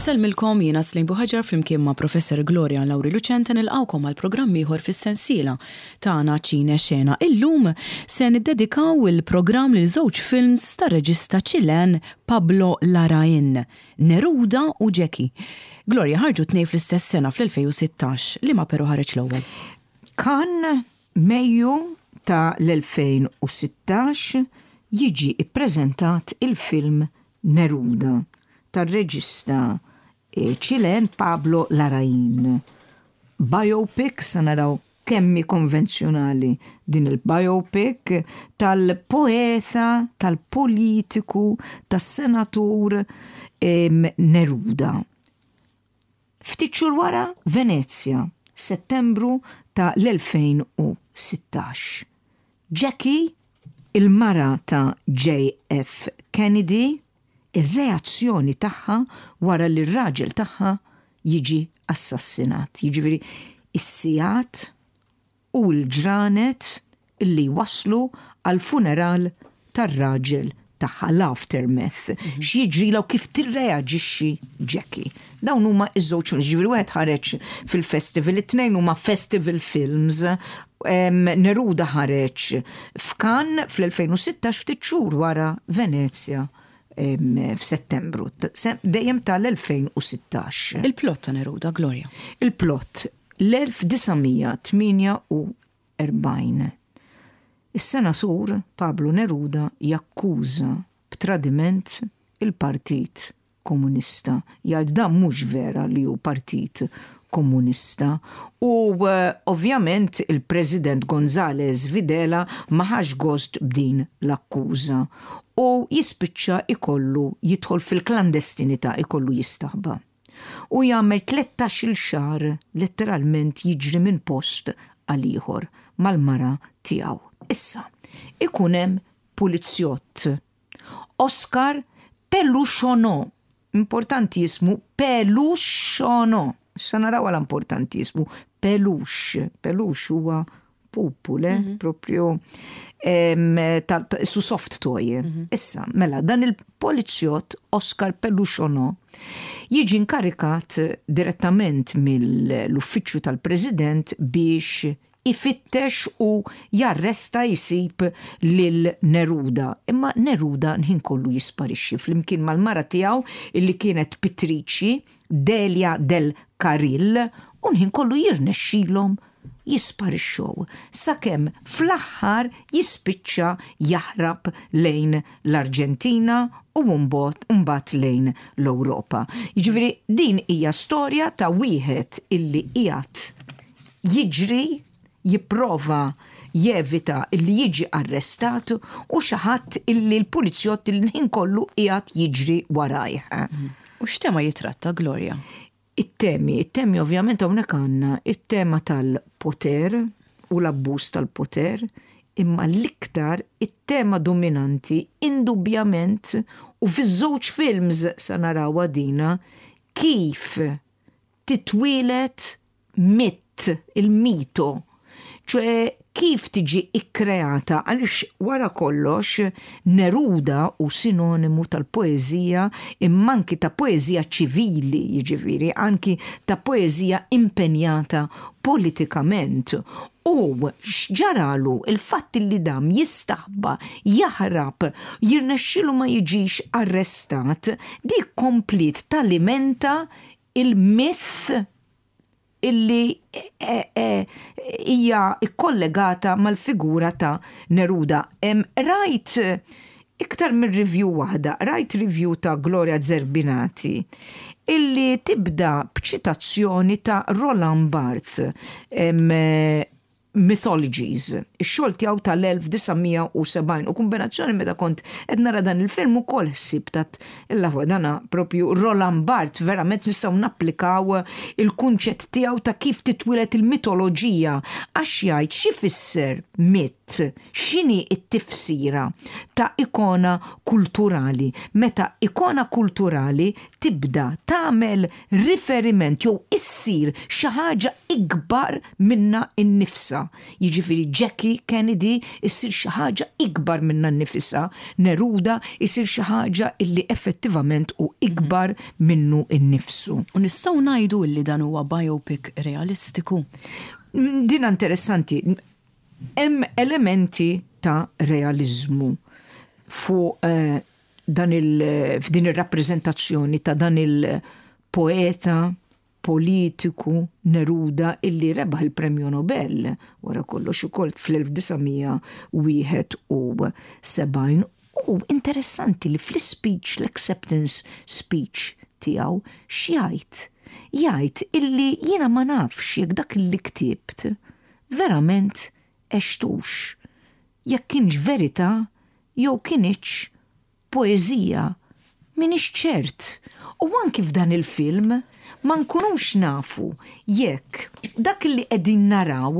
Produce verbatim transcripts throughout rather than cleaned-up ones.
Insellmilkom, jiena Slim Buħaġar flimkien ma' Professor Gloria Lauri Lucente, nilqawkom għal programm ieħor fis-sensiela tagħna Ċine Xena. Illum se niddedikaw il-programm lil żewġ films tar-reġista Ċilen Pablo Larraín, Neruda u Jackie. Gloria, ħarġu tnejn fl-istess sena, fl-elfejn u sittax, li ma però ħareġ l-ewwel? Cannes, Mejju ta' l-elfejn u sittax, jiġi ippreżentat il-film Neruda tar-reġista eh, Ċilen Pablo Larraín. Biopic, sa naraw kemmi konvenzjonali din il-biopic tal-poeta, tal-politiku, tas-senatur Neruda. Ftit xhur wara, Venezja, Settembru ta' l-elfejn u sittax. Jackie, il-mara ta' J F. Kennedy, ir-reazzjoni tagħha wara li r-raġel tagħha jiġi assassinat. Jiġifieri is-sigħat u l-ġranet illi waslu għal funeral tar-raġel tagħha, l-aftermath. Mhm. X'jiġri u kif tirreaġixxi Jackie. Dawn huma iż-żewġ films, ġifieri wieħed ħareġ fil-festival, it-tnejn huma festival films. Neruda ħareġ f'Cannes fl-elfejn u sittax, ftit xhur wara Venezja f'Settembru, dejjem tal-elfejn u sittax. Il-plot ta' Neruda, Gloria. Il-plot, l-elf disa' mija tmienja u erbgħin. Is-senatur Pablo Neruda jakkuża b'tradiment il-Partit Komunista. Jgħid dan mhux vera li hu Partit Komunista. U uh, ovvjament il-President González Videla ma ħax gost b'din l-akkuża u jispiċċa ikollu jidħol fil-klandestinità, ikollu jistaħba. U jagħmel tlettax-il xahar letteralment jiġri minn post għal ieħor mal-mara tiegħu. Issa, ikun hemm pulizjott. Oscar Peluchonneau. Importanti jismu Peluchonneau. Issa naraw għala importanti jismu Peluche. Peluche huwa pupu, le? Mm -hmm. Propju su soft toy. Mm -hmm. Issa, mela, dan il-polizjott Oscar Peluchonneau jiġi inkarikat direttament mill-uffiċċju tal-President biex ifittex u jarresta, jisib lil Neruda. Imma Neruda l-ħin kollu jisparixxi flimkien mal-mara tiegħu illi kienet pittriċi, Delia del Carril, u l-ħin kollu jirnexxilhom jisparixxu sakemm fl-aħħar jispiċċa jaħrab lejn l-Arġentina u mbagħad lejn l-Ewropa. Jiġifieri din hija storja ta' wieħed illi qiegħed jiġri, jipprova jevita illi jiġi arrestat u xi ħadd illi l-pulizjott il-ħin kollu qiegħed jiġri warajh. U x'tema jitratta, Gloria? It-temi, it-temi ovvjament hawnhekk għandna it-tema tal-poter u l-abbuż tal-poter, imma l-iktar it-tema dominanti indubjament, u fiż-żewġ films sa narawha dina, kif titwieled mit, il-mito, ċoè kif tiġi ikkreata, għaliex wara kollox Neruda hu sinonimu tal-poezija, imma anki ta' poezija ċivili, jiġifieri anki ta' poezija impenjata politikament. U x'ġaralu, il-fatt li dam jistaħba, jaħrab, jirnexxilu ma jiġix arrestat, dik kompliet talimenta il-myth illi eh, eh, hija ikkollegata mal-figura ta' Neruda. Rajt iktar minn review waħda, rajt review ta' Gloria Zerbinati illi tibda b'ċitazzjoni ta' Roland Barthes, Mythologies, ix-xogħol tiegħu tal-elf disa' mija u sebgħin, u kombinazzjoni meta kont qed nara dan il-film ukoll ħsib tat il dana propju Roland Barthes, verament nistgħu napplikaw il-kunċett tiegħu ta' kif titwieled il-mitoloġija, għax jgħid xi fisser mit Eżattament x'inhi t-tifsira ta' ikona kulturali? Meta ikona kulturali tibda tagħmel riferiment jew issir xi ħaġa ikbar minna innifsa. Jiġifieri Jackie Kennedy issir xi ħaġa ikbar minna nnifisha, Neruda issir xi ħaġa illi effettivament hu ikbar minnu innifsu. U nistgħu ngħidu li dan huwa biopic realistiku? Din interessanti. Hemm elementi ta' realizmu fuq eh, dan il, f'din ir-rappreżentazzjoni ta' dan il-poeta politiku Neruda illi rebaħ il-Premju Nobel wara kollox ukoll fl-elf disa' mija wieħed u sebgħin. U interessanti li fl-speech, l-acceptance speech tiegħu, x'jgħid? Jgħid illi jiena ma nafx jekk dak li ktibt verament għextux. Jekk kienx verità jew kienx poeżija. Minix ċert. U anki f'dan il-film ma nkunux nafu jekk dak li qegħdin naraw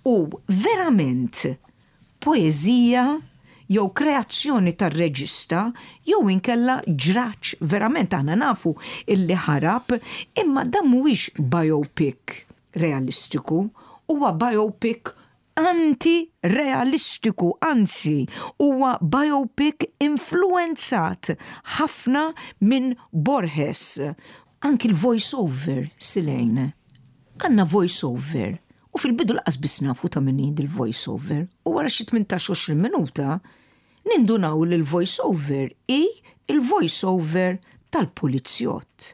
hu verament poeżija jew kreazzjoni tar-reġista jew inkella ġratx verament. Aħna nafu illi ħarab, imma dan mhuwiex biopic realistiku, huwa biopic anti-realistiku, anzi, huwa biopic influenzat ħafna minn Borges. Anki l-voice-over, Silejn. Għandna voice-over. U fil-bidu lanqas biss nafu ta' min il-voice-over. U wara xi tmintax għoxrin minuta, nindunaw li l-voice-over hi il-voice-over tal-polizjott.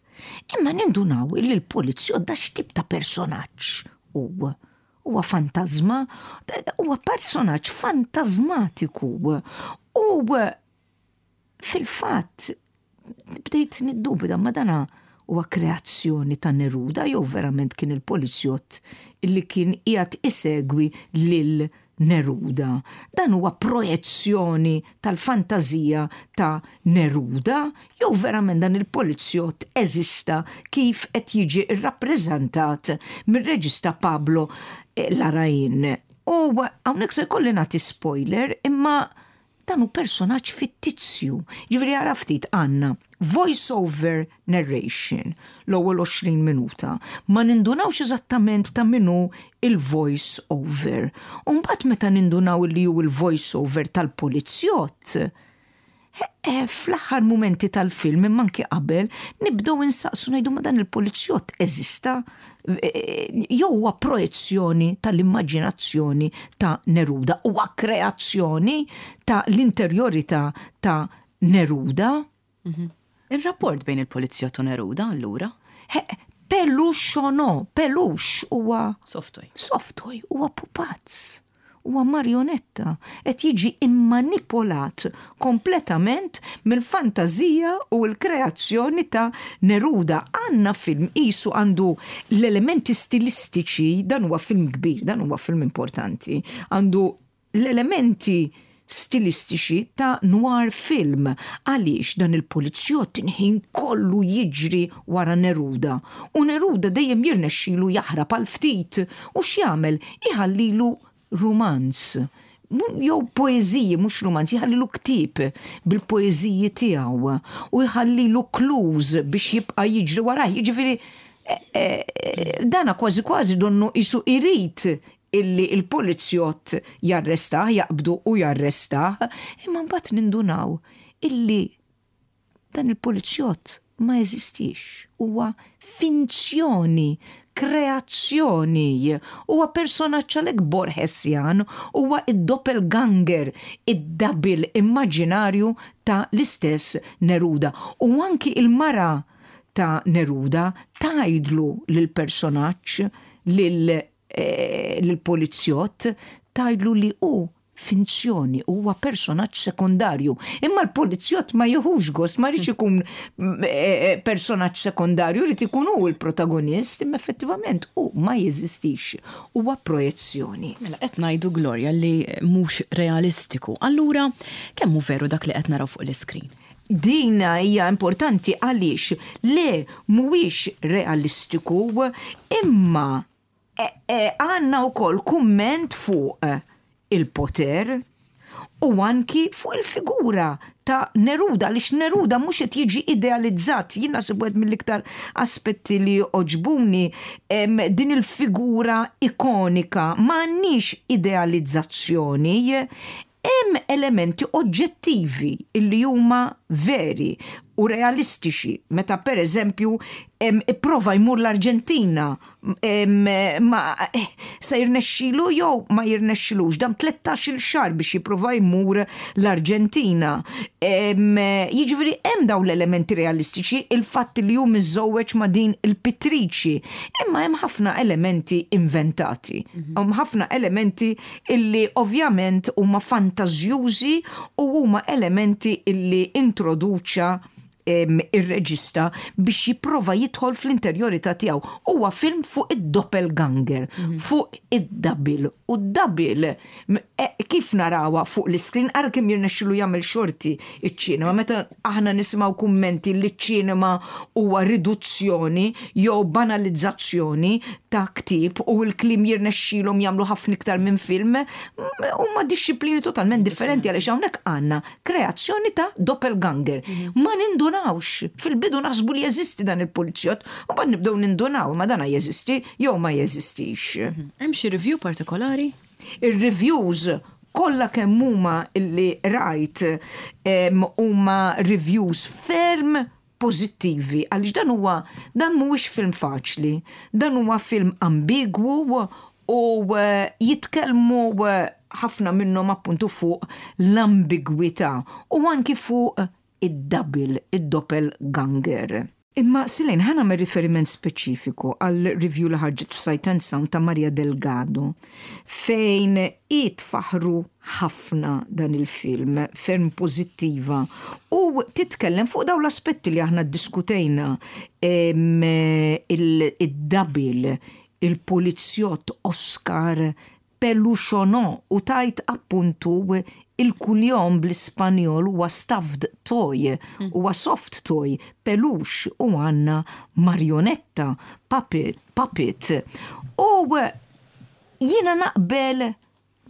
Imma nindunaw li l-polizjott da x'tip ta' personaġġ u huwa fantasma, huwa personaġġ fantasmatiku. U fil-fatt bdejt niddubita, ma dana huwa kreazzjoni ta' Neruda jew verament kien il-polizjott illi kien qiegħed isegwi lil Neruda? Dan huwa projezzjoni tal-fantazija ta' Neruda jew verament dan il-polizjott eżista kif qed jiġi rrappreżentat mir-reġista Pablo Larraín? U hawnhekk se jkolli nagħti spoiler, imma dan hu personaġġ fittizju. Ġifieri ara ftit, għandna voice-over narration l-ewwel għoxrin minuta. Ma nindunawx eżattament ta' min hu il-voice over. U mbagħad meta nindunaw li hu il-voice over tal-polizjott, fl-aħħar momenti tal-film, imma anki qabel, nibdew insaqsu, ngħidu, ma dan il-polizjott eżista jew huwa projezzjoni tal-immaġinazzjoni ta' Neruda, huwa kreazzjoni ta' l-interjorità ta' Neruda? Il-rapport bejn il-polizjott u Neruda, allura? Pelux o no, pelux huwa Soft toy. Soft toy, huwa pupazz. Huwa marionetta, qed jiġi immanipolat kompletament mill-fantazija u l-kreazzjoni ta' Neruda. Għandna film isu għandu l-elementi stilistiċi, dan huwa film kbir, dan huwa film importanti, għandu l-elementi stilistiċi ta' noir film, għaliex dan il-polizjott ħin kollu jiġri wara Neruda u Neruda dejjem jirnexxilu jaħrab għal ftit u x'jagħmel? Iħallilu rumanz jew poeżiji, mhux rumanz, jħallilu ktieb bil-poeżiji tiegħu u jħallilu clues biex jibqa' jiġri waraj. Jiġifieri dana kważi kważi donnu isu irid illi il-polizjott jarrestah, jaqbdu u jarrestah, imma mbagħad nindunaw illi dan il-polizjott ma jeżistix. Huwa finzjoni, kreazzjoni, huwa personaġġ għalhekk Borgesjan, huwa id-doppelganger, id-double immaġinarju ta' l-istess Neruda. U anki il-mara ta' Neruda tgħidlu lil-personaġġ, lil-polizjott, tgħidlu li hu finzjoni, huwa personaġġ sekondarju. Imma l-polizjott ma jiħux gost, ma jridx ikun personaġġ sekondarju, jrid ikun hu l-protagonist, imma effettivament hu ma jeżistix, huwa projezzjoni. Mela qed ngħidu, Gloria, li mhux realistiku. Allura kemm hu veru dak li qed naraw fuq l-iskrin? Dina hija importanti għaliex le, mhuwiex realistiku, imma għandna wkoll kumment fuq il-poter u anki fuq il-figura ta' Neruda, għaliex Neruda mhux qed jiġi idealizzat. Jien naħseb wieħed mill-iktar aspetti li għoġbuni din il-figura ikonika, m'għandniex idealizzazzjoni, hemm elementi oġġettivi illi huma veri u realistiċi. Meta per eżempju ipprova jmur l-Arġentina, ma eh, se jirnexxilu jew ma jirnexxilux, dam tlettax-il xahar biex jipprova jmur l-Arġentina. Jiġifieri hemm dawn l-elementi realistiċi, il-fatt li hu miżżewweġ ma' din il-pittriċi, imma hemm ħafna elementi inventati. Mhm. Hemm ħafna elementi illi ovvjament huma fantażjużi u huma elementi illi introduċa ir-reġista biex jipprova jidħol fl-interjorità tiegħu. Huwa film fuq id-doppelganger, mhm. fuq id-double. U d-double e, kif narawha fuq l-iskrin, ara kemm jirnexxilu jagħmel xorti iċ-ċinema. Meta aħna nisimgħu kummenti li ċ-ċinema huwa riduzzjoni jew banalizzazzjoni ta' ktieb u l-kliem jirnexxilhom jagħmlu ħafna iktar minn film, huma dixxiplini totalment differenti għaliex hawnhekk għandna kreazzjoni ta' doppelganger. Mhm. Ma nindunawx. Fil-bidu naħsbu li jeżisti dan il-pulizjott, u mbagħad nibdew nindunaw ma dana jeżisti jew ma jeżistix. Mhm. Hemm xi review partikolari? Ir-reviews kollha kemm huma illi rajt huma reviews ferm pożittivi għaliex dan huwa dan mhuwiex film faċli, dan huwa film ambigwu u eh, jitkellmu eh, ħafna minnhom appuntu fuq l-ambigwità u anki fuq id-double, id-doppelganger. Imma Silejn, ħa nagħmel riferiment speċifiku għal review li ħarġet f'Sight and Sound ta' Maria Delgado, fejn hi tfaħru ħafna dan il-film, ferm pożittiva, u titkellem fuq dawn l-aspetti li aħna ddiskutejna, il-double, il-polizjott Oscar Peluchonneau u tgħid appuntu il-kunjom bl-Ispanjol huwa stuffed toy, huwa soft toy, peluche u għandna marionetta, puppet, puppet. U jiena naqbel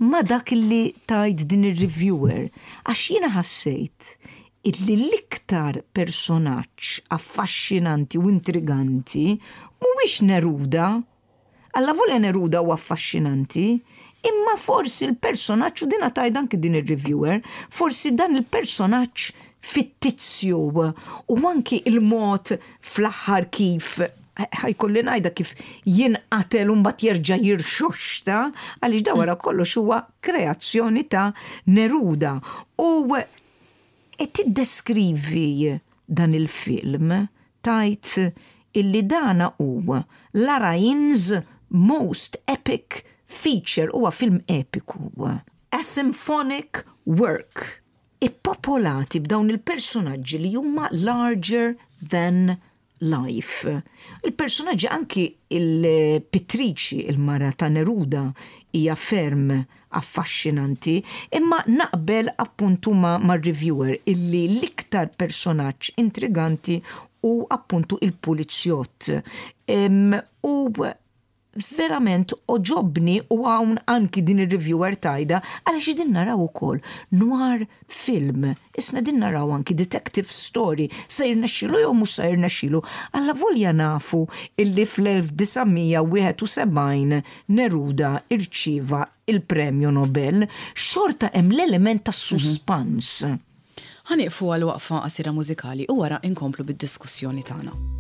ma dak li tgħid din ir-reviewer, għax jiena ħassejt illi l-iktar personaġġ affaxxinanti u intriganti mhuwiex Neruda. Allavolja Neruda huwa affaxxinanti, imma forsi l-personaġġ, u dina tgħid anki din ir-reviewer, forsi dan il-personaġġ fittizju u anki il-mod fl-aħħar kif ħa jkolli ngħidha kif jinqatel u mbagħad jerġa' jirxoxta, għaliex da wara kollox huwa kreazzjoni ta' Neruda. U qed tiddeskrivi dan il-film tgħid illi dana hu Larraín's most epic feature, huwa film epiku. A symphonic work. Ippopolati b'dawn il-personaġġi li huma larger than life. Il-personaġġi anki il-pittriċi, il-mara ta' Neruda, hija ferm affaxxinanti, imma naqbel appuntu ma' mar-reviewer illi l-iktar personaġġ intriganti hu appuntu il-pulizjott. U verament għoġobni u hawn anki din ir-reviewer tgħidha għaliex din naraw ukoll noir film. Isna din naraw anki detective story, se jirnexxilu jew mhux se jirnexxilu. Allavolja nafu illi fl-elf disa' mija wieħed u sebgħin Neruda irċieva il-Premju Nobel, xorta hemm l-element ta' suspans. Ħa nieqfu għal waqfa qasira mużikali u wara inkomplu bid-diskussjoni tagħna.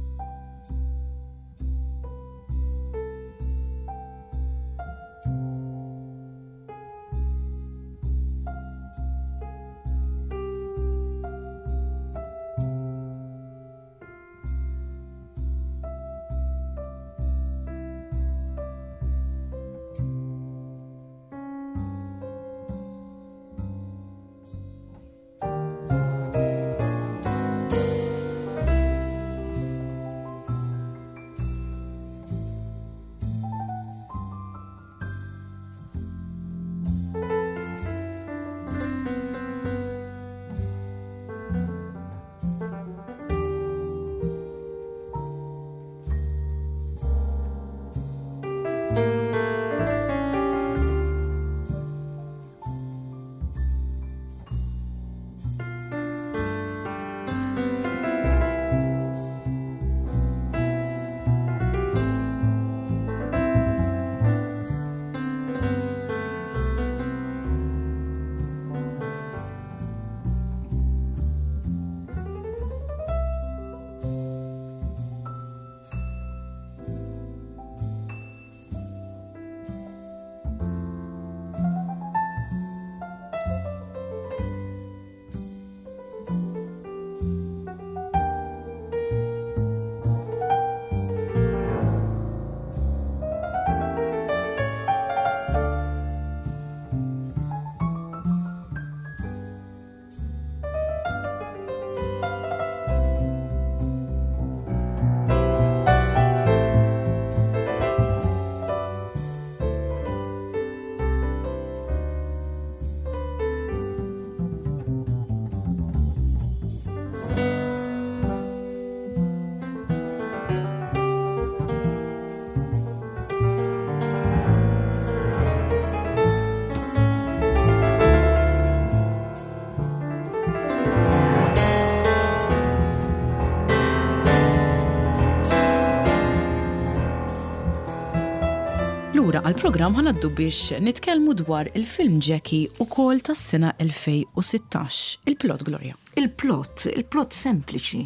Lura għal-programm ħa ngħaddu biex nitkellmu dwar il-film Jackie ukoll tas-sena elfejn u sittax. Il-plot, Gloria. Il-plot, il-plot sempliċi.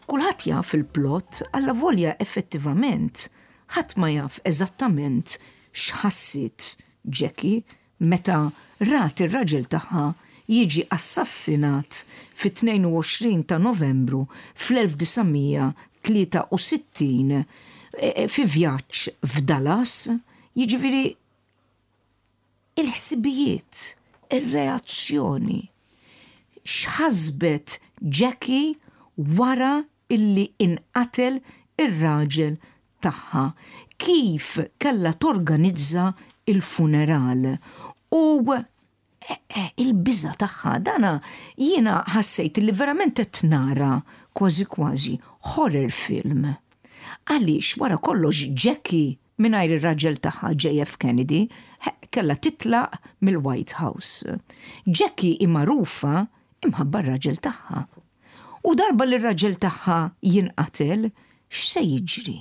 Kulħadd jaf il-plot, alla volja effettivament ħadd ma jaf eżattament x'ħassit Jackie meta rat ir-raġel tagħha jiġi assassinat fit-tnejn u għoxrin ta' Novembru fl-elf disa' mija tlieta u sittin e, e, fi vjaġġ f'Dallas, jiġifieri il-ħsibijiet, ir-reazzjoni, x'ħasbet Jackie wara illi inqatel ir-raġel tagħha, kif kella torganizza il-funeral u eh, il-biża tagħha. Dana jiena ħassejt li verament qed nara kważi kważi horror film. Għaliex wara kollox Jackie mingħajr ir-raġel tagħha J F Kennedy kella titlaq mill-White House. Jackie hi magħrufa imħabba r-raġel tagħha. U darba li r-raġel tagħha jinqatel, x'se jiġri?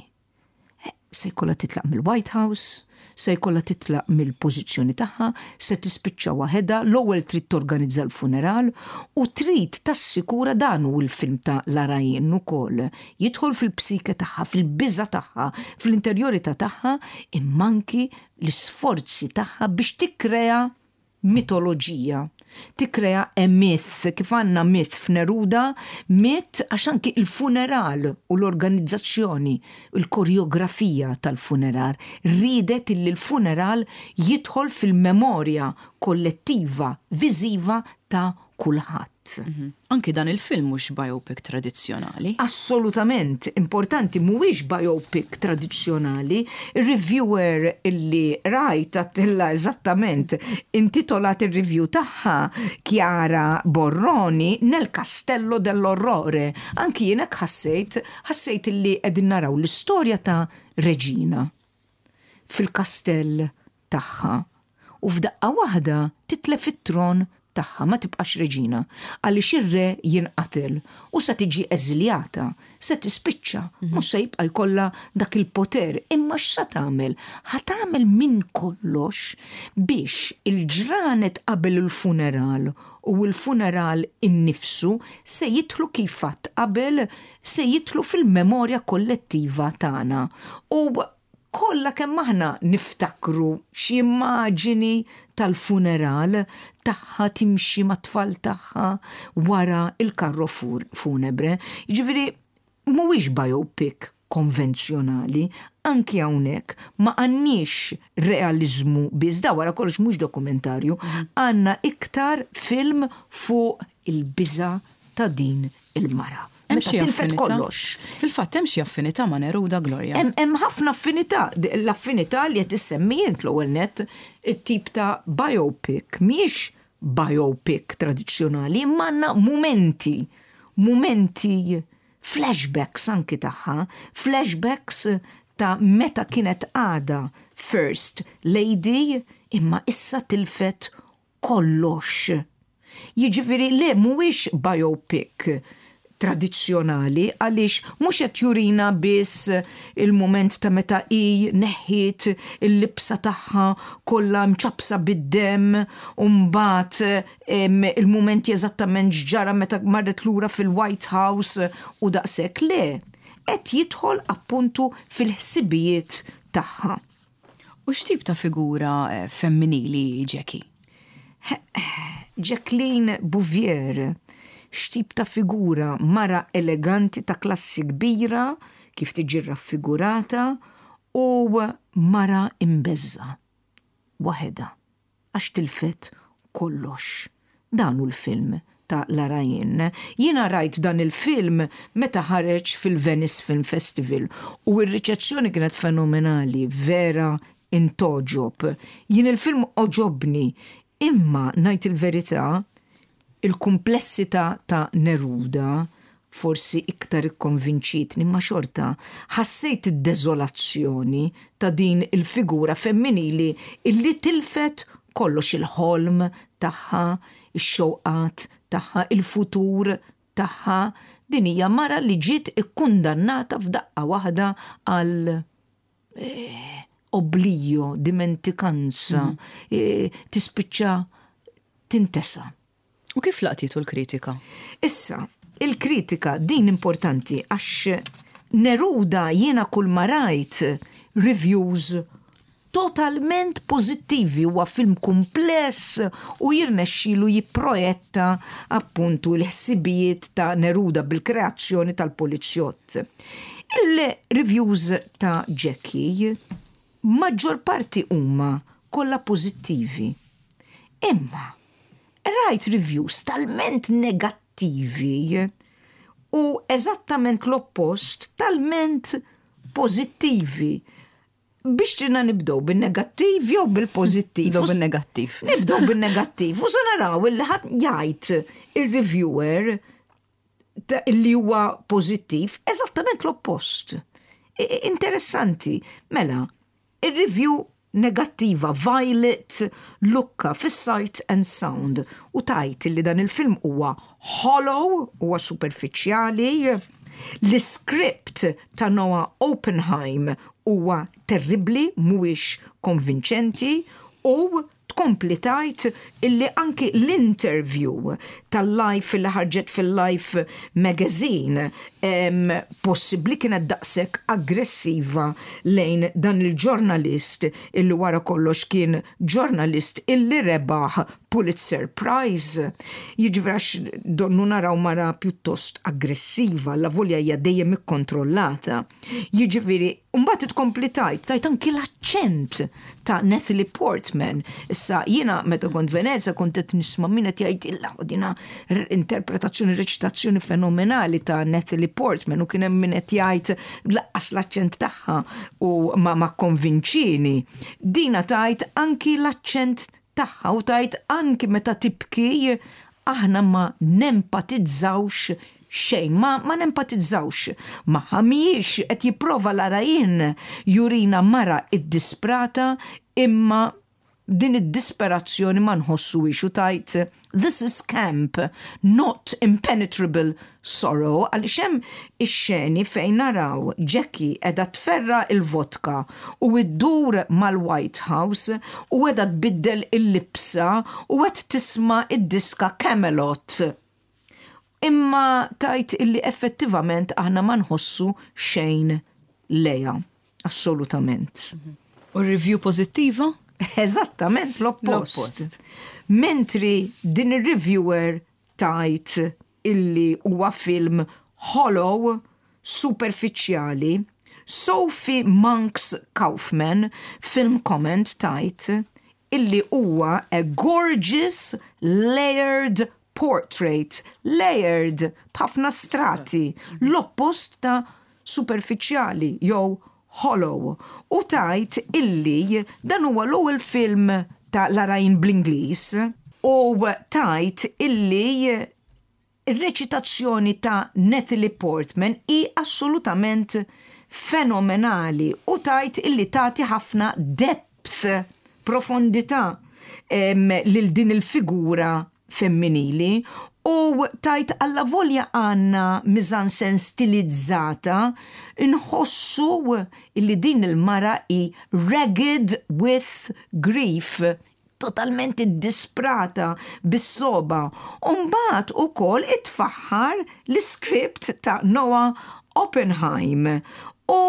Se jkollha titlaq mill-White House, se jkollha titlaq mill-pożizzjoni tagħha, se tispiċċa waħedha, l-ewwel trid torganizza l-funeral u trid tassikura, dan hu l-film ta' Larraín ukoll. Jidħol fil-psike tagħha, fil-biża tagħha, fl-interjorità tagħha, imma anki l-isforzi tagħha biex tikkrea mitoloġija. Tikkrea a myth, kif għandna myth f'Neruda, myth għax anki il-funeral u l-organizzazzjoni, il-koreografija tal-funeral, ridet illi l-funeral jidħol fil-memorja kollettiva, viżiva ta' kulħadd. Mhm. Anki dan il-film mhux biopic tradizzjonali. Assolutament, importanti, mhuwiex biopic tradizzjonali. Il-reviewer illi rajt għattilla eżattament intitolat il-review tagħha, Chiara Borroni, "Nel Castello dell'Orrore". Anki jiena ħassejt, ħassejt illi qegħdin naraw l-istorja ta' Reġina fil-kastell tagħha u f'daqqa waħda titlef it-tron tagħha, ma tibqax reġina għaliex ir-re jinqatel u se tiġi eżiljata, se tispiċċa, mhux se jibqa' jkollha dak il-poter, imma x'sa tagħmel? Ħa tagħmel minn kollox biex il-ġranet qabel il-funeral u l-funeral innifsu se jidħlu, kif għedt qabel, se jidħlu fil-memorja kollettiva tagħna. U kollha kemm aħna niftakru xi immaġini tal-funeral tagħha timxi mat-tfal tagħha wara il-karro funebre. Jiġifieri mhuwiex biopic konvenzjonali, anki hawnhekk ma għandniex realizmu biss, da wara kollox mhux dokumentarju, għandna iktar film fuq il-biża ta' din il-mara. Hemm Meta xi tilfet affinità? kollox. Fil-fatt hemm xi affinità ma' Neruda, Gloria. Hemm hemm ħafna affinità, l-affinità li qed issemmi int l-ewwel net, it-tip ta' biopic mhijiex biopic tradizzjonali, imma għandna mumenti, mumenti flashbacks anki tagħha, flashbacks ta' meta kienet għada First Lady imma issa tilfet kollox. Jiġifieri le, mhuwiex biopic tradizzjonali għaliex mhux qed jurina biss il-moment ta' meta hi neħħiet il-libsa tagħha kollha mċapsa bid-dem u mbagħad em, il-mumenti eżattament x'ġara meta marret lura fil-White House u daqshekk, le. Qed jidħol appuntu fil-ħsibijiet tagħha. U x'tip ta' figura eh, femminili Jackie? Jacqueline Bouvier, x'tip ta' figura? Mara eleganti ta' klassi kbira, kif tiġi raffigurata, u mara imbeżża', waħedha, għax tilfet kollox. Dan hu l-film ta' Larraín. Jiena rajt dan il-film meta ħareġ fil-Venice Film Festival u r-riċezzjoni kienet fenomenali, vera intgħoġob. Jien il-film għoġobni, imma ngħid il-verità, il-komplessità ta' Neruda forsi iktar ikkonvinċitni, imma xorta ħassejt id-deżolazzjoni ta' din il-figura femminili illi tilfet kollox, il-ħolm tagħha, ix-xewqat tagħha, il-futur tagħha. Din hija mara li ġiet ikkundannata f'daqqa waħda għal eh, Oblio, dimentikanza, mm. e, tispiċċa tintesa. U kif laqtitu l-kritika? Issa, il-kritika din importanti għax Neruda jiena kull ma rajt reviews totalment pozittivi. Huwa film kumpless u jirnexxilu jipprojetta appuntu l-ħsibijiet ta' Neruda bil-kreazzjoni tal-polizjott. Il-reviews ta' Jackie maġġor parti huma kollha pożittivi. Imma rajt reviews talment negattivi u eżattament l-oppost talment pożittivi. Biex ġina nibdow bil-negattiv jew bil-pożittiv? Nibdow bil-negattiv. Nibdow bil-negattiv. U naraw illi ħadd jgħid il-reviewer li huwa pożittiv, eżattament l-oppost. Interessanti. Mela, il-review negattiva Violet Lucca fis-Sight and Sound u tgħid li dan il-film huwa hollow, huwa superfiċjali, l-script ta' Noah Oppenheim huwa terribli, mhuwiex konvinċenti u tkompli tgħid illi anki l-interview tal-Life li ħarġet fil-Life magazine em, possibbli kienet daqshekk aggressiva lejn dan il-ġurnalist illi wara kollox kien ġurnalist illi rebaħ Pulitzer Prize. Jiġifieri għax donnu naraw mara pjuttost aggressiva, la volja hija dejjem ikkontrollata. Jiġifieri, mbagħad tkompli tgħid, tgħid anki l-aċċent ta' Natalie Portman. Issa jiena meta kont Venezia kont qed nisma' min qed jgħid illa dina interpretazzjoni, reċitazzjoni fenomenali ta' Natalie Portman u kien hemm min qed jgħid lanqas l-aċċent tagħha u ma ma konvinċini. Dina tgħid anki l-aċċent tagħha u tgħid anki meta tibki aħna ma nempatizzawx xejn, ma, ma nempatizzawx. Ma mhijiex qed jipprova Larraín jurina mara id-disprata, imma din id-disperazzjoni ma nħossuhiex u tgħid "This is camp, not impenetrable sorrow", għaliex hemm ix-xeni fejn naraw Jackie qiegħda tferra il-vodka u iddur mal-White House u qiegħda tbiddel il-libsa u qed tisma' id-diska Camelot. Imma tgħid illi effettivament aħna ma nħossu xejn lejha. Assolutament. U review pożittiva? Eżattament l-oppost. Mentri din ir-reviewer tgħid illi huwa film hollow, superfiċjali, Sophie Monks Kaufman Film Comment tgħid illi huwa a gorgeous layered portrait, layered b'ħafna strati, l-oppost ta' superfiċjali jew hollow. U tgħid illi dan huwa l-ewwel film ta' Larraín bl-Ingliż u tgħid illi ir-reċitazzjoni ta' Natalie Portman hi assolutament fenomenali u tgħid illi tagħti ħafna depth, profondità lil din il-figura femminili u tgħid alla volja għandna mise-en-scène stilizzata, nħossu illi din il-mara hi ragged with grief, totalment disprata bis-sogħba. Umbagħad ukoll itfaħħar l-script ta' Noah Oppenheim u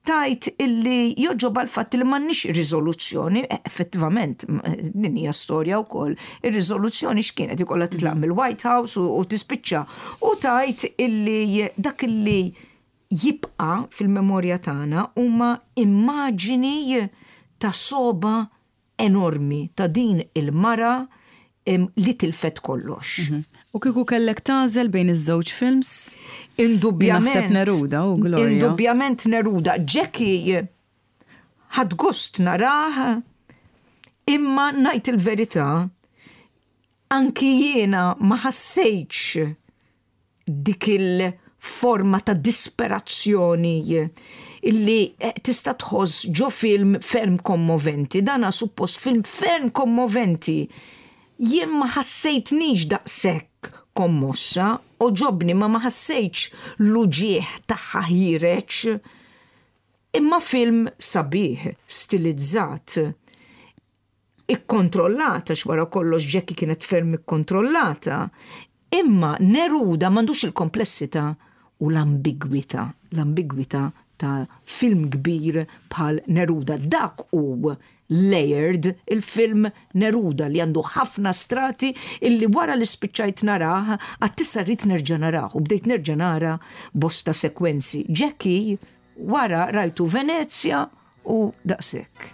tgħid illi jogħġobha l-fatt li m'għandniex riżoluzzjoni, eh, effettivament, din hija storja wkoll, ir-riżoluzzjoni x'kienet ikollha titlaq mill-White House u, u tispiċċa. U tgħid illi dak illi jibqa' fil-memorja tagħna huma immaġini ta' sogħba enormi ta' din il-mara li tilfet kollox. Mhm. U kieku kellek tagħżel bejn iż-żewġ films? Indubjament. Naħseb Neruda u Gloria. Indubjament Neruda. Jackie ħadt gost narah, imma ngħid il-verità, anki jiena ma ħassejtx dik il-forma ta' disperazzjoni illi eh, tista' tħoss ġo film ferm kommoventi. Dana suppost film ferm kommoventi. Jien ma ħassejtnix daqshekk kommossa, għoġobni ma ma ħassejtx l-uġigħ tagħha ħiereġ. Imma film sabiħ, stilizzat, ikkontrollata, x'wara kollox Jackie kienet ferm ikkontrollata, imma Neruda m'għandux il-komplessità u l-ambigwità, l-ambigwità ta' film kbir bħal Neruda. Dak hu layered il-film Neruda li għandu ħafna strati illi wara li spiċċajt narah, għedt issa rrid nerġa' narah u bdejt nerġa' nara bosta sekwenzi. Jackie wara rajtu Venezia u daqshekk.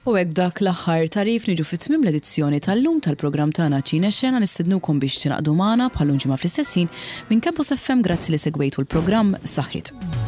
U hekk dak l-aħħar tarif niġu fi tmiem l-edizzjoni tal-lum tal-programm tagħna Ċine Xena. Nistednukom biex tingħaqdu magħna bħal ġimgħa fl-istess ħin. Minn Campus F M, grazzi li segwejtu l-programm. Saħħit.